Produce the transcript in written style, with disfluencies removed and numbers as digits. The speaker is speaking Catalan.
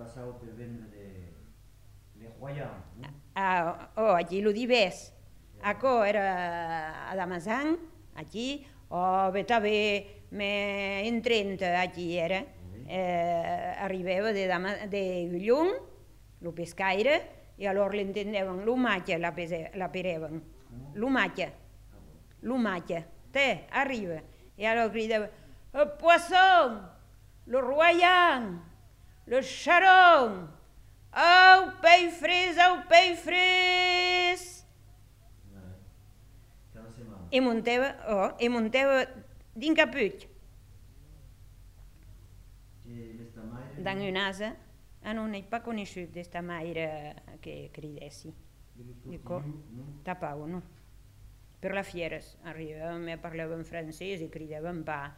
passava per vendre les royans. Allí lo divers. Ako era a Damazan, allí, o també en 30 allí era. Arribava de Llum, el pescaire, i llavors l'entendeven, l'humatge la pereven. L'humatge, arriba. I llavors cridava, el poisson, le royan, le charron, au peix fres. I muntava din caput. Dan una asa, non è pas conosciut d'esta maire che cridessi. Dico, tapau, no? Per la fieres, arribàvem a parlar en francès i cridaven pa.